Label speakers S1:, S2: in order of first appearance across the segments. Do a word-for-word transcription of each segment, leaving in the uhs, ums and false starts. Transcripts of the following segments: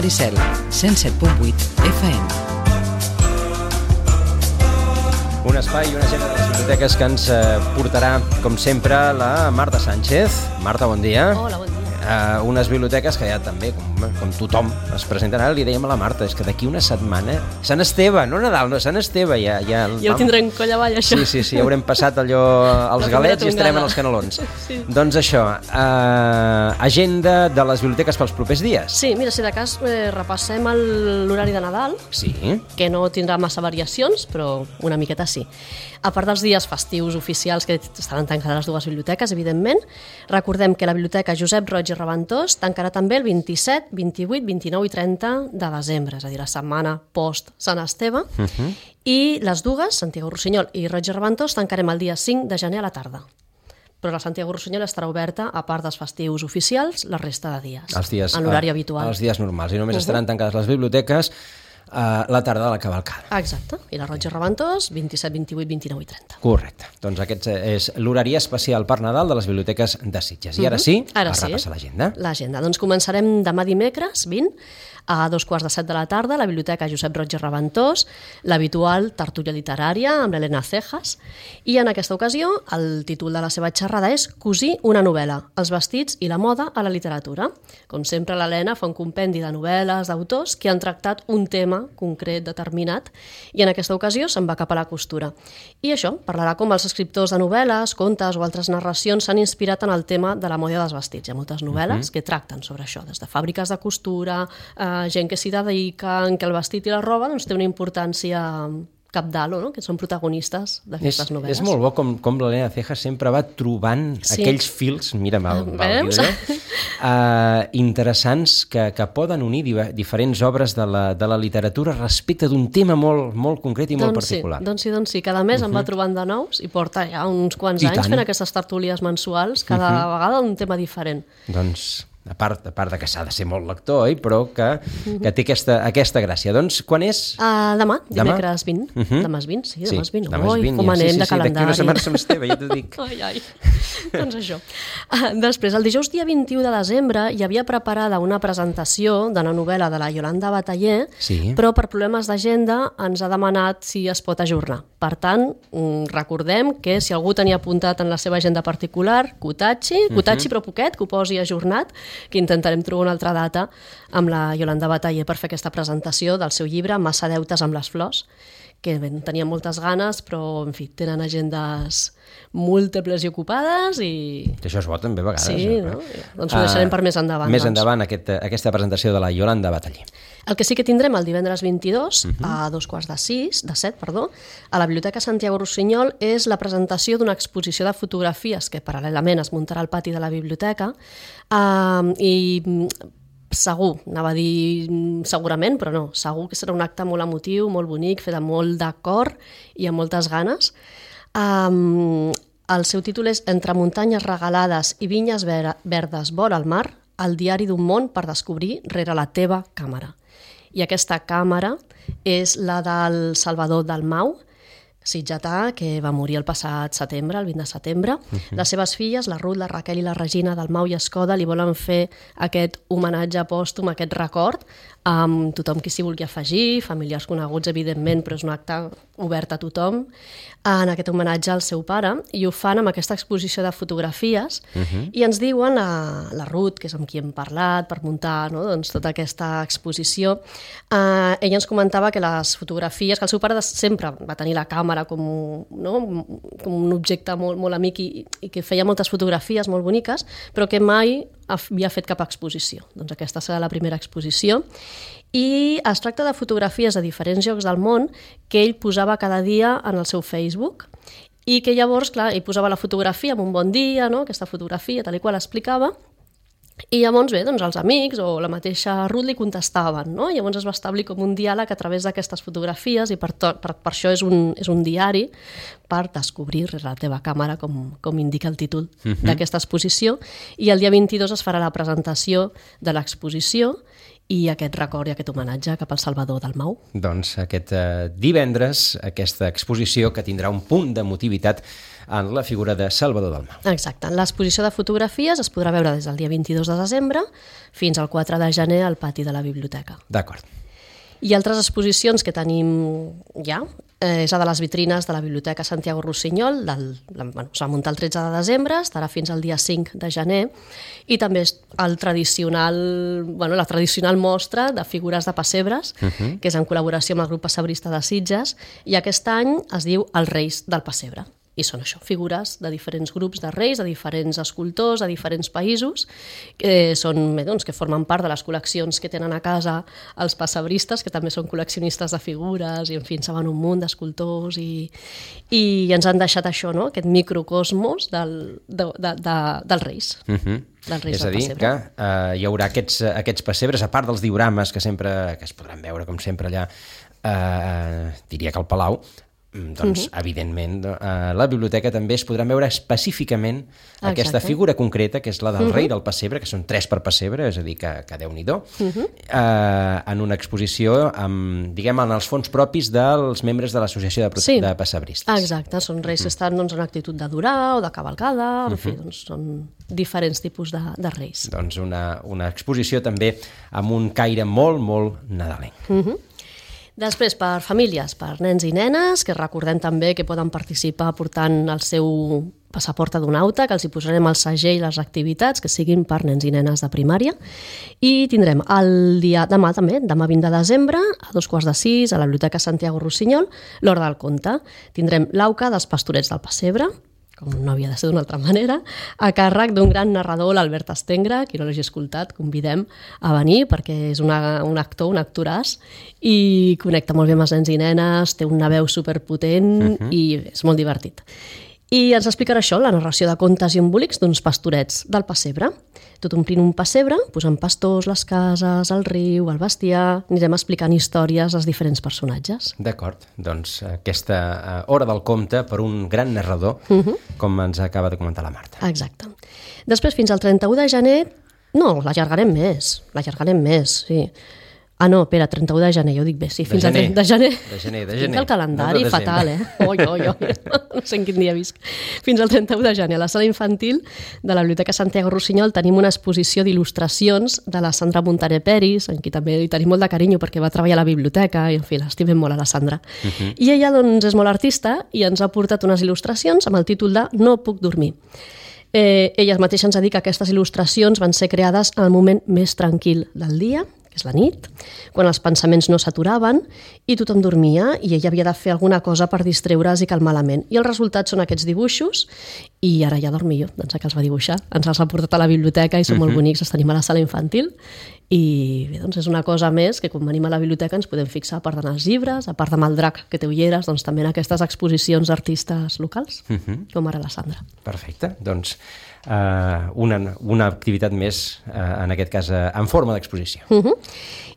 S1: Maricel, cent set punt vuit F M.
S2: Un espai i una agenda de les biblioteques que ens eh, portarà, com sempre, la Marta Sánchez. Marta, bon dia.
S3: Hola, bon dia.
S2: Uh, unes biblioteques que ja també, com, com tothom, es presenten. Ara li dèiem a la Marta, és que d'aquí una setmana... Sant Esteve, no Nadal, no, Sant Esteve. Ja, ja,
S3: ja ho tindrem coll avall, això.
S2: Sí, sí, sí, haurem passat allò als galets i estarem en els canelons.
S3: Sí.
S2: Doncs això, uh, agenda de les biblioteques pels propers dies.
S3: Sí, mira, si de cas eh, repassem l'horari de Nadal,
S2: Sí.
S3: que no tindrà massa variacions, però una miqueta sí. A part dels dies festius oficials que estaran tancades les dues biblioteques, evidentment, recordem que la biblioteca Josep Roig i Reventós tancarà també el vint-i-set, vint-i-vuit, vint-i-nou i trenta de desembre, és a dir, la setmana post Sant Esteve, uh -huh. i les dues, Santiago Rossinyol i Roig i Reventós, tancarem el dia cinc de gener a la tarda. Però la Santiago Rossinyol estarà oberta, a part dels festius oficials, la resta de dies,
S2: Els dies
S3: en l'horari
S2: eh,
S3: habitual.
S2: Els dies normals, i només
S3: Uh-huh.
S2: estaran tancades les biblioteques Uh, la tarda de la cavalcada.
S3: Ah, exacte. I la Roig i Reventós, vint-i-set, vint-i-vuit, vint-i-nou i trenta.
S2: Correcte. Doncs aquest és l'horari especial per Nadal de les biblioteques de Sitges. I ara sí,
S3: Ara
S2: a
S3: sí.
S2: repassar l'agenda.
S3: L'agenda. Doncs començarem demà dimecres, vint, a dos quarts de set de la tarda, a la Biblioteca Josep Roig i Reventós, l'habitual tertúlia literària amb l'Helena Cejas, i en aquesta ocasió el títol de la seva xerrada és Cosir una novel·la, els vestits i la moda a la literatura. Com sempre, l'Helena fa un compendi de novel·les d'autors que han tractat un tema concret, determinat, i en aquesta ocasió se'n va cap a la costura. I això, parlarà com els escriptors de novel·les, contes o altres narracions s'han inspirat en el tema de la moda dels vestits. Hi ha moltes novel·les uh-huh. que tracten sobre això, des de fàbriques de costura, eh, gent que s'hi dedica, en què el vestit i la roba doncs, té una importància cabdal, no? Que són protagonistes d'aquestes novel·les.
S2: És molt bo com, com l'Helena Cejas sempre va trobant sí. aquells fils, mira'm el, el vídeo, uh, interessants que, que poden unir di diferents obres de la, de la literatura respecte d'un tema molt, molt concret i molt
S3: doncs
S2: particular.
S3: Sí, doncs sí, doncs sí. Cada mes uh-huh. em va trobant de nous i porta ja uns quants
S2: I
S3: anys
S2: tant.
S3: fent aquestes tertúlies mensuals, cada uh-huh. vegada un tema diferent.
S2: Doncs... A part, a part de que s'ha de ser molt lector, oi? Però que, que té aquesta, aquesta gràcia. Doncs quan és?
S3: Uh, demà,
S2: demà?
S3: dimecres vint. Uh -huh. Demà és vint, sí, demà és vint.
S2: Sí, demà és vint.
S3: Ui, com anem
S2: sí, sí,
S3: de
S2: sí,
S3: calendari.
S2: D'aquí una setmana Sant Esteve, ja t'ho dic.
S3: Ai, ai. Doncs això. Uh, després, el dijous dia vint-i-u de desembre hi havia preparada una presentació de la novel·la de la Yolanda Bataller,
S2: sí.
S3: però per problemes d'agenda ens ha demanat si es pot ajornar. Per tant, recordem que si algú tenia apuntat en la seva agenda particular, que ho tatxi, que ho tatxi, uh -huh. però poquet, que ho posi ajornat, que intentarem trobar una altra data amb la Yolanda Bataller per fer aquesta presentació del seu llibre Massa deutes amb les flors, que bé, tenia moltes ganes, però, en fi, tenen agendes múltiples i ocupades i...
S2: Això és bo també a vegades.
S3: Sí, no? Doncs ho deixarem uh, per més endavant.
S2: Més
S3: doncs.
S2: endavant aquest, aquesta presentació de la Yolanda Bataller.
S3: El que sí que tindrem el divendres vint-i-dos, uh-huh. a dos quarts de sis, de set, perdó, a la Biblioteca Santiago Rossinyol és la presentació d'una exposició de fotografies que paral·lelament es muntarà al pati de la biblioteca uh, i segur, anava a dir segurament, però no, segur que serà un acte molt emotiu, molt bonic, fet amb molt de cor i amb moltes ganes. Um, el seu títol és Entre muntanyes regalades i vinyes ver verdes vora el mar, el diari d'un món per descobrir rere la teva càmera. I aquesta càmera és la del Salvador Dalmau, sitgetà, que va morir el passat setembre, el vint de setembre. Uh-huh. Les seves filles, la Ruth, la Raquel i la Regina Dalmau i Escoda, li volen fer aquest homenatge pòstum, aquest record, amb tothom qui s'hi vulgui afegir, familiars coneguts, evidentment, però és un acte obert a tothom, en aquest homenatge al seu pare, i ho fan amb aquesta exposició de fotografies, uh-huh. i ens diuen, la, la Ruth, que és amb qui hem parlat per muntar, no, doncs, tota aquesta exposició, eh, ella ens comentava que les fotografies, que el seu pare sempre va tenir la càmera com, no, com un objecte molt, molt amic i, i que feia moltes fotografies molt boniques, però que mai havia fet cap exposició. Doncs aquesta serà la primera exposició. I es tracta de fotografies de diferents llocs del món que ell posava cada dia en el seu Facebook i que llavors, clar, ell posava la fotografia amb un bon dia, no? Aquesta fotografia, tal i qual explicava, i llavors, bé, doncs els amics o la mateixa Ruth li contestaven, no? I llavors es va establir com un diàleg a través d'aquestes fotografies i per, per, per això és un, és un diari per descobrir rere la teva càmera, com, com indica el títol uh-huh. d'aquesta exposició. I el dia vint-i-dos es farà la presentació de l'exposició i aquest record i aquest homenatge cap al Salvador Dalmau.
S2: Doncs aquest eh, divendres, aquesta exposició que tindrà un punt d'emotivitat en la figura de Salvador Dalmau.
S3: Exacte. L'exposició de fotografies es podrà veure des del dia vint-i-dos de desembre fins al quatre de gener al pati de la biblioteca.
S2: D'acord.
S3: I altres exposicions que tenim ja eh, és la de les vitrines de la Biblioteca Santiago Rossinyol, del, bueno, s'ha muntat el tretze de desembre, estarà fins al dia cinc de gener, i també és el tradicional, bueno, la tradicional mostra de figures de pessebres, uh -huh. que és en col·laboració amb el grup pessebrista de Sitges, i aquest any es diu Els Reis del Pessebre. I són això, figures de diferents grups de reis, de diferents escultors, de diferents països, que són, bé, doncs, que formen part de les col·leccions que tenen a casa els pessebristes, que també són col·leccionistes de figures, i en fi, en saben un munt d'escultors, i, i ens han deixat això, no?, aquest microcosmos del, de, de, de, dels reis.
S2: Uh -huh. És a dir, que eh, hi haurà aquests, aquests pessebres, a part dels diorames que sempre que es podran veure, com sempre, allà, eh, diria que al Palau, doncs, uh-huh. evidentment, a la biblioteca també es podran veure específicament Exacte. Aquesta figura concreta, que és la del uh-huh. rei del pessebre, que són tres per pessebre, és a dir, que, que Déu-n'hi-do, uh-huh. eh, en una exposició amb, diguem, en els fons propis dels membres de l'associació de, sí. de pessebristes.
S3: Exacte, són reis uh-huh. que estan doncs, en actitud d'adorar o de cavalcada, en uh-huh. fi, doncs, són diferents tipus de, de reis.
S2: Doncs una, una exposició també amb un caire molt, molt nadalenc.
S3: Uh-huh. Després, per famílies, per nens i nenes, que recordem també que poden participar portant el seu passaport adonauta, que els hi posarem el segell i les activitats que siguin per nens i nenes de primària. I tindrem el dia demà també, demà vint de desembre, a dos quarts de sis, a la Biblioteca Santiago Rossinyol, l'Hora del Conte. Tindrem l'auca dels Pastorets del Pessebre, com no havia de ser d'una altra manera, a càrrec d'un gran narrador, l'Albert Estengra, qui no l'hagi escoltat, convidem a venir perquè és una, un actor, un actoràs, i connecta molt bé amb els nens i nenes, té una veu superpotent uh-huh. i és molt divertit. I ens explicarà això, la narració de contes i embolics d'uns pastorets del pessebre. Tot omplint un pessebre, posant pastors, les cases, el riu, el bestiar, anirem explicant històries als diferents personatges.
S2: D'acord, doncs aquesta hora del conte per un gran narrador, uh-huh. com ens acaba de comentar la Marta.
S3: Exacte. Després, fins al trenta-u de gener, no, l'allargarem més, l'allargarem més, sí. Ah, no, espera, trenta-u de gener, jo dic bé, sí, fins al trenta de gener.
S2: De gener, de gener.
S3: Tinc el calendari no fatal, eh? Oi, oi, oi, no sé en quin dia visc. Fins al trenta-u de gener, a la sala infantil de la Biblioteca Santiago Rossinyol tenim una exposició d'il·lustracions de la Sandra Montaner Peris, en qui també hi tenim molt de carinyo perquè va treballar a la biblioteca i, en fi, l'estimem molt a la Sandra. Uh-huh. I ella, doncs, és molt artista i ens ha portat unes il·lustracions amb el títol de No puc dormir. Eh, ella mateixa ens ha dit que aquestes il·lustracions van ser creades en el moment més tranquil del dia, que és la nit, quan els pensaments no s'aturaven i tothom dormia i ella havia de fer alguna cosa per distreure's i calmar la ment. I els resultats són aquests dibuixos i ara ja dormi jo, doncs que els va dibuixar. Ens els ha portat a la biblioteca i són uh-huh. molt bonics, els tenim a la sala infantil i bé, doncs és una cosa més que quan venim a la biblioteca ens podem fixar, a part d'anar als llibres, a part de el drac que té ulleres, doncs també en aquestes exposicions d'artistes locals, uh-huh. com ara la Sandra.
S2: Perfecte, doncs Uh, una, una activitat més, uh, en aquest cas, uh, en forma d'exposició.
S3: Uh-huh.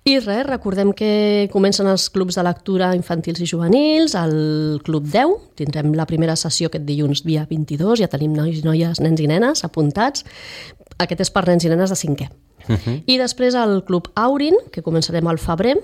S3: I res, recordem que comencen els clubs de lectura infantils i juvenils, el Club deu, tindrem la primera sessió aquest dilluns dia vint-i-dos, ja tenim nois i noies, nens i nenes apuntats, aquest és per nens i nenes de cinquè. Uh-huh. I després el Club Aurin, que començarem al febrer.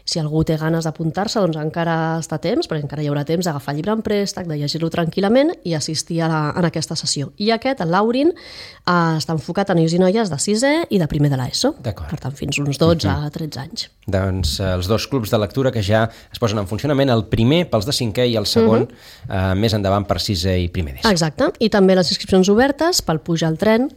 S3: Si algú té ganes d'apuntar-se, doncs encara està a temps, perquè encara hi haurà temps d'agafar el llibre en préstec, de llegir-lo tranquil·lament i assistir a, la, a aquesta sessió. I aquest, el l'Aurin, eh, està enfocat a nois i noies de sisè i de primer de l'ESO.
S2: D'acord.
S3: Per tant, fins uns dotze a tretze anys.
S2: Doncs eh, els dos clubs de lectura que ja es posen en funcionament, el primer pels de cinquè i el segon uh-huh. eh, més endavant per sisè i primer d'ESO.
S3: Exacte. I també les inscripcions obertes pel Puja al tren,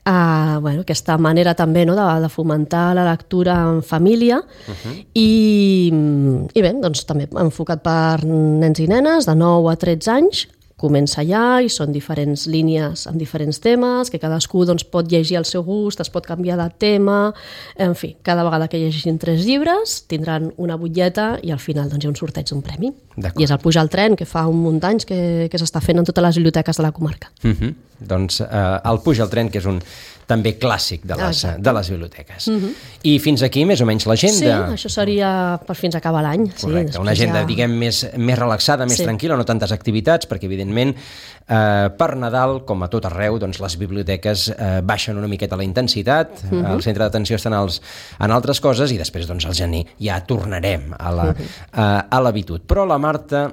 S3: Uh, bueno, aquesta manera també, no, de, de fomentar la lectura en família uh-huh. i, i bé, doncs també enfocat per nens i nenes de nou a tretze anys. Comença ja i són diferents línies amb diferents temes, que cadascú doncs, pot llegir al seu gust, es pot canviar de tema, en fi, cada vegada que llegeixin tres llibres tindran una butlleta i al final doncs, hi ha un sorteig d'un premi. I és el Pujar al tren, que fa un munt d'anys que, que s'està fent en totes les biblioteques de la comarca.
S2: Uh-huh. Doncs eh, el Pujar al tren, que és un també clàssic de les, de les biblioteques. Uh-huh. I fins aquí més o menys l'agenda.
S3: Sí, això seria per fins a acabar l'any.
S2: Correcte,
S3: sí,
S2: una agenda, ja... diguem, més, més relaxada, més
S3: sí.
S2: tranquil·la, no tantes activitats, perquè, evidentment, eh, per Nadal, com a tot arreu, doncs les biblioteques eh, baixen una miqueta la intensitat, uh-huh. el centre d'atenció està en, els, en altres coses, i després, doncs, al gener ja tornarem a la, uh-huh. a, a l'habitud. Però la Marta,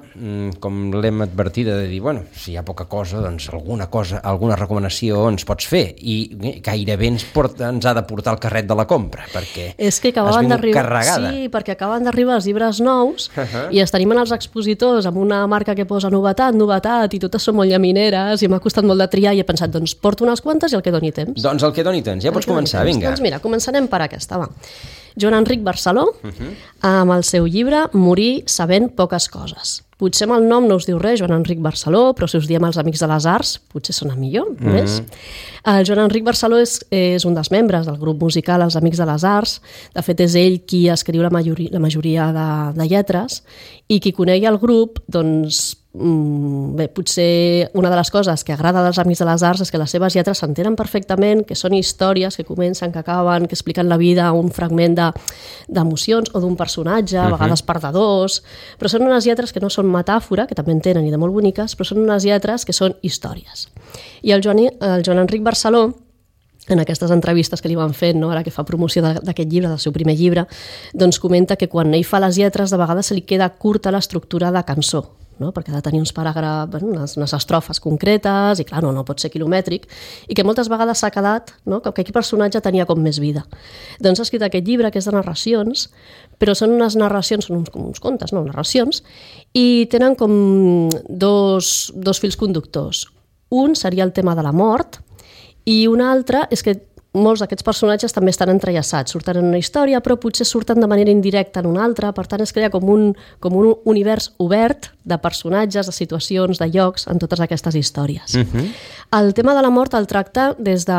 S2: com l'hem advertida, de dir, bueno, si hi ha poca cosa, doncs alguna cosa, alguna recomanació ens pots fer, i gairebé ens, porta, ens ha de portar el carret de la compra, perquè
S3: és que
S2: has vingut
S3: carregada. Sí, perquè acaben d'arribar els llibres nous uh-huh. i els tenim en els expositors amb una marca que posa novetat, novetat, i totes són molt llamineres, i m'ha costat molt de triar, i he pensat, doncs porto unes quantes i el que doni temps.
S2: Doncs el que doni temps, ja pots començar, vinga.
S3: Doncs mira, començarem per aquesta, va. Joan Enric Barceló, uh-huh. amb el seu llibre Morir sabent poques coses. Potser amb el nom no us diu res, Joan Enric Barceló, però si us diem els Amics de les Arts, potser sona millor, no és? Mm-hmm. El Joan Enric Barceló és, és un dels membres del grup musical Els Amics de les Arts. De fet, és ell qui escriu la majoria, la majoria de, de lletres, i qui conegui el grup, doncs, bé, potser una de les coses que agrada dels Amics de les Arts és que les seves lletres s'entenen perfectament, que són històries que comencen, que acaben, que expliquen la vida, un fragment de, d'emocions o d'un personatge, a vegades per de dos, però són unes lletres que no són metàfora, que també en tenen i de molt boniques, però són unes lletres que són històries. I el Joan, el Joan Enric Barceló, en aquestes entrevistes que li van fent, no, ara que fa promoció d'aquest llibre, del seu primer llibre, doncs comenta que quan ell fa les lletres de vegades se li queda curta l'estructura de cançó, no? Perquè ha de tenir uns paràgrafs, bueno, unes, unes estrofes concretes, i clar, no, no pot ser quilomètric, i que moltes vegades s'ha quedat, no? que aquell personatge tenia com més vida. Doncs ha escrit aquest llibre, que és de narracions, però són unes narracions, són uns, com uns contes, no? narracions, i tenen com dos, dos fils conductors. Un seria el tema de la mort, i un altre és que molts d'aquests personatges també estan entrellaçats, surten en una història, però potser surten de manera indirecta en una altra, per tant es crea com un, com un univers obert de personatges, de situacions, de llocs, en totes aquestes històries. Uh-huh. El tema de la mort el tracta des de...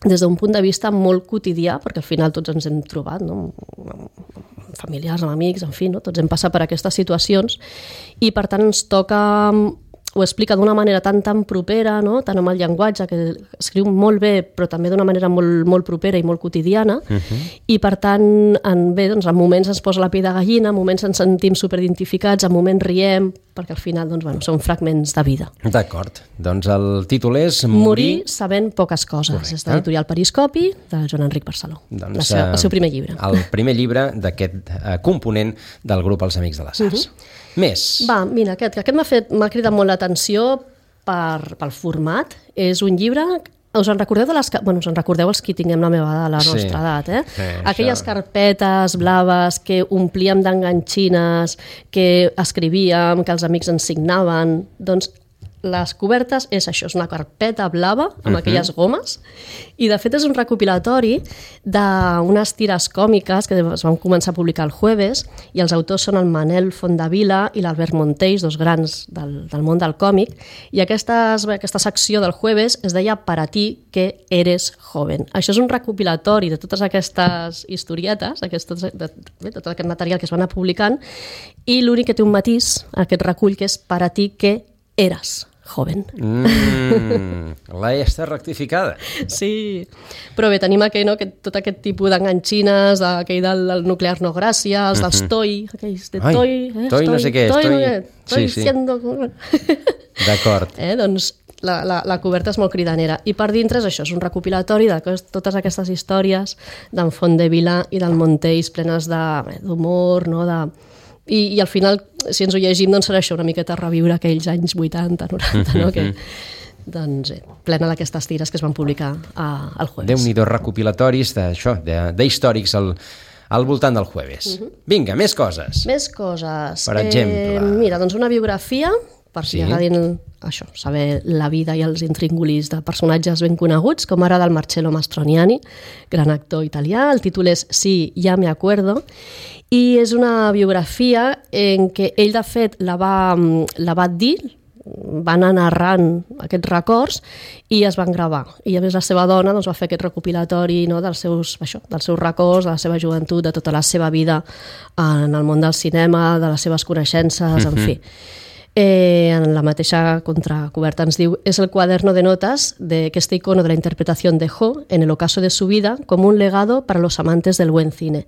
S3: des d'un punt de vista molt quotidià, perquè al final tots ens hem trobat, no? Amb familiars, amb amics, en fi, no? Tots hem passat per aquestes situacions, i per tant ens toca... ho explica d'una manera tan tan propera, no? Tant amb el llenguatge, que escriu molt bé, però també d'una manera molt, molt propera i molt quotidiana, uh-huh. i per tant, en, bé, doncs, en moments ens posa la pell de gallina, en moments ens sentim superidentificats, en moments riem, perquè al final doncs, bueno, són fragments de vida.
S2: D'acord, doncs el títol és Morir,
S3: Morir sabent poques coses. Correcte. És de l'editorial Periscopi, de Joan Enric Barceló, doncs, la seva, el seu primer llibre.
S2: El primer llibre d'aquest uh, component del grup Els Amics de les Arts. Uh-huh. Més. Va,
S3: mira, aquest, que aquest m'ha fet, m'ha cridat molt l'atenció per, pel format. És un llibre... Us en recordeu de les... Bueno, us en recordeu els que tinguem la meva edat, la nostra sí. edat, eh? Sí, aquelles això. Carpetes blaves que omplíem d'enganxines, que escrivíem, que els amics ens signaven... Doncs les cobertes és això, és una carpeta blava amb uh-huh. aquelles gomes, i de fet és un recopilatori d'unes tires còmiques que es van començar a publicar el jueves, i els autors són el Manel Fondavila i l'Albert Montells, dos grans del, del món del còmic, i aquestes, aquesta secció del jueves es deia Para ti que eres joven. Això és un recopilatori de totes aquestes historietes, aquest, de, de, de tot aquest material que es van anar publicant, i l'únic que té un matís, aquest recull, que és Para ti que eras joven.
S2: Mm, la E està rectificada.
S3: Sí, però bé, tenim aquell, no, que tot aquest tipus d'enganxines, aquell del, del nuclear no gràcia, els dels uh-huh. toi, aquells de toi...
S2: Ai, eh, toi no sé què és, toi... toi,
S3: toi
S2: sí, sí.
S3: siendo...
S2: D'acord.
S3: Eh, doncs la, la, la coberta és molt cridanera. I per dintre és això, és un recopilatori de totes aquestes històries d'en Fondevila i del Montells, plenes d'humor, no?, de... I, i al final, si ens ho llegim, doncs serà això, una miqueta reviure aquells anys vuitanta, noranta, no? Que, doncs, eh, plena d'aquestes tires que es van publicar a, al jueves.
S2: Déu-n'hi-do recopilatoris d'això, d'històrics al, al voltant del jueves. Uh-huh. Vinga, més coses.
S3: Més coses.
S2: Per exemple...
S3: Eh, mira, doncs una biografia, per si sí. agradin això, saber la vida i els intríngulis de personatges ben coneguts, com ara del Marcello Mastroianni, gran actor italià. El títol és Sí, ya me acuerdo, i és una biografia en què ell, de fet, la va, la va dir, va anar narrant aquests records i es van gravar. I a més la seva dona doncs, va fer aquest recopilatori, no, dels, seus, això, dels seus records, de la seva joventut, de tota la seva vida en el món del cinema, de les seves coneixences, en fi. Eh, en la mateixa contracoberta ens diu: es el cuaderno de notas de que este icono de la interpretación dejó en el ocaso de su vida como un legado para los amantes del buen cine.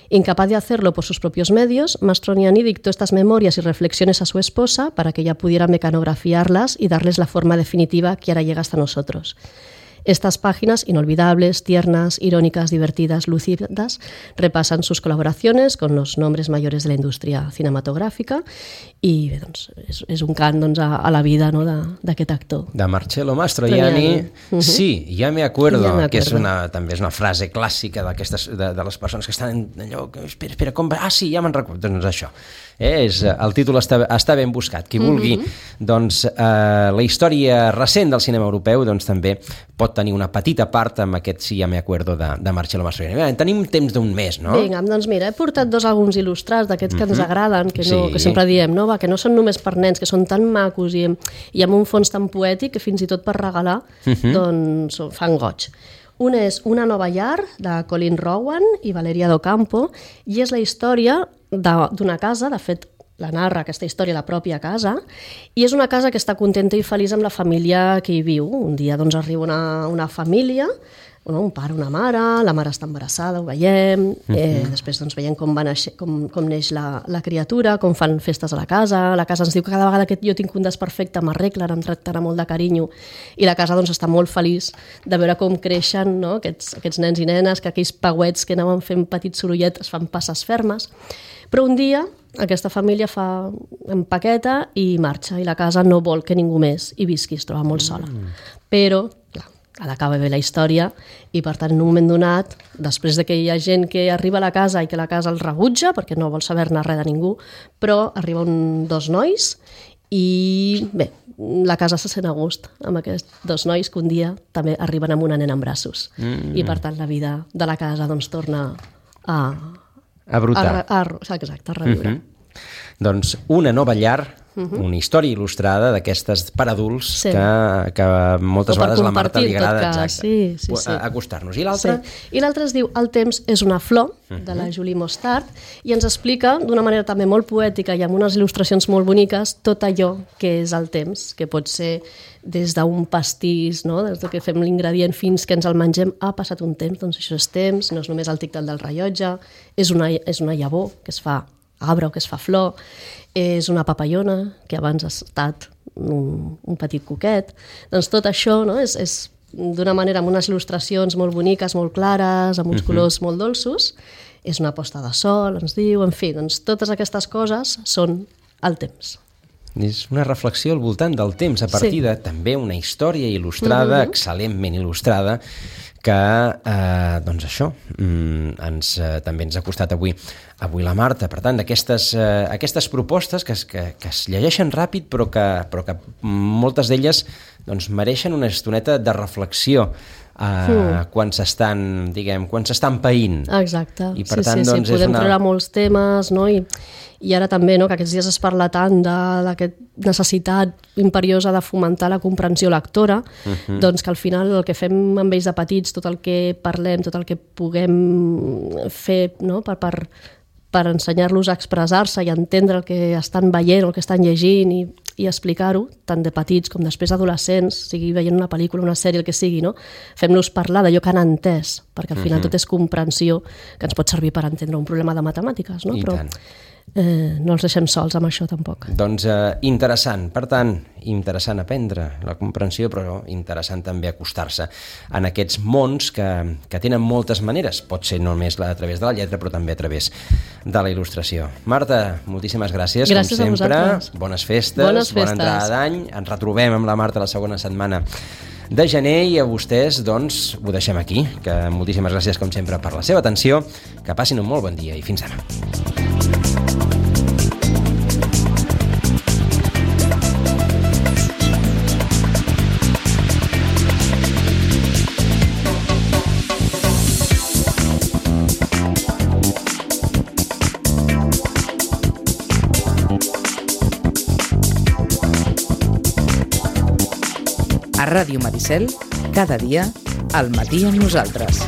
S3: Incapaz de hacerlo por sus propios medios, Mastroianni dictó estas memorias y reflexiones a su esposa para que ella pudiera mecanografiarlas y darles la forma definitiva que ahora llega hasta nosotros. Estas páginas, inolvidables, tiernas, irónicas, divertidas, lúcidas, repasan sus colaboraciones con los nombres mayores de la indústria cinematogràfica i bé, doncs, és, és un cant doncs, a, a la vida, no, d'aquest actor.
S2: De Marcello Mastroianni. Uh -huh. Sí, ja me acuerdo, ja me acuerdo, que és una, també és una frase clàssica d'aquestes de, de les persones que estan allò, espera, espera, com va? Ah, sí, ja me'n recordo. Doncs això. Eh, és, el títol està, està ben buscat. Qui vulgui, uh -huh. doncs, eh, la història recent del cinema europeu, doncs també pot tenir una petita part amb aquest sí, ja me acuerdo de, de Marcello Mastroianni. Bé, tenim temps d'un mes, no?
S3: Vinga, doncs mira, he portat dos àlbums il·lustrats d'aquests que uh -huh. ens agraden, que, no,
S2: sí.
S3: que sempre diem, no? Va, que no són només per nens, que són tan macos i, i amb un fons tan poètic que fins i tot per regalar uh -huh. doncs fan goig. Un és Una nova llar, de Colin Rowan i Valeria Docampo, i és la història d'una casa, de fet la narra aquesta història la pròpia casa, i és una casa que està contenta i feliç amb la família que hi viu. Un dia doncs arriba una, una família, un pare, una mare, la mare està embarassada, ho veiem, eh, després doncs veiem com, va naixer, com, com neix la, la criatura, com fan festes a la casa, la casa ens diu que cada vegada que jo tinc un desperfecte m'arreglen, em tracten amb molt de carinyo, i la casa doncs està molt feliç de veure com creixen, no? aquests, aquests nens i nenes, que aquells pauets que anaven fent petits sorolletes fan passes fermes, però un dia aquesta família fa empaqueta i marxa, i la casa no vol que ningú més hi visqui, es troba molt sola. Mm. Però, clar, ha d'acabar bé la història i, per tant, en un moment donat, després de que hi ha gent que arriba a la casa i que la casa el rebutja perquè no vol saber-ne res de ningú, però arriben dos nois i, bé, la casa se sent a gust amb aquests dos nois que un dia també arriben amb una nena en braços. Mm. I, per tant, la vida de la casa doncs torna a...
S2: A brotar.
S3: A, a, exacte, a reviure. Uh -huh.
S2: Doncs Una nova llar, uh -huh. una història il·lustrada d'aquestes per adults sí. que, que moltes vegades a la Marta li agrada exacte,
S3: sí, sí, sí.
S2: acostar-nos. I l'altre?
S3: Sí. I l'altre es diu El temps és una flor, uh -huh. de la Julie Mostard, i ens explica d'una manera també molt poètica i amb unes il·lustracions molt boniques tot allò que és el temps, que pot ser des d'un pastís, no? Des que fem l'ingredient fins que ens el mengem, ha passat un temps, doncs això és temps, no és només el tic-tac del rellotge, és una, és una llavor que es fa arbre o que es fa flor, és una papallona que abans ha estat un, un petit cuquet. Doncs tot això, no? és, és d'una manera amb unes il·lustracions molt boniques, molt clares, amb uns uh-huh. colors molt dolços, és una posta de sol, ens diu, en fi, doncs totes aquestes coses són el temps.
S2: És una reflexió al voltant del temps, a partir sí. de també una història il·lustrada, uh-huh. excel·lentment il·lustrada, que, eh, doncs això, mm, ens, eh, també ens ha costat avui avui la Marta. Per tant, aquestes, eh, aquestes propostes que es, que, que es llegeixen ràpid, però que, però que moltes d'elles doncs, mereixen una estoneta de reflexió eh, mm. quan s'estan, diguem, quan s'estan païnt.
S3: Exacte.
S2: I per
S3: sí,
S2: tant,
S3: sí,
S2: doncs,
S3: sí. Podem
S2: una...
S3: treure molts temes, no? I, i ara també, no?, que aquests dies es parla tant d'aquesta necessitat imperiosa de fomentar la comprensió lectora, uh-huh. doncs que al final el que fem amb ells de petits, tot el que parlem, tot el que puguem fer, no?, per, per, per ensenyar-los a expressar-se i a entendre el que estan veient, el que estan llegint i, i explicar-ho, tant de petits com després adolescents, sigui veient una pel·lícula, una sèrie, el que sigui, no? Fem-los parlar d'allò que han entès, perquè al final uh-huh. tot és comprensió que ens pot servir per entendre un problema de matemàtiques, no?
S2: I
S3: Però
S2: tant.
S3: Eh, no els deixem sols amb això tampoc.
S2: Doncs eh, interessant, per tant, interessant aprendre la comprensió, però interessant també acostar-se en aquests mons que, que tenen moltes maneres, pot ser només a través de la lletra, però també a través de la il·lustració. Marta, moltíssimes gràcies,
S3: gràcies
S2: com sempre, bones festes,
S3: bones festes,
S2: bona entrada d'any, ens retrobem amb la Marta la segona setmana de gener i a vostès, doncs, ho deixem aquí, que moltíssimes gràcies, com sempre, per la seva atenció, que passin un molt bon dia i fins demà.
S1: A Ràdio Maricel, cada dia, al matí amb nosaltres.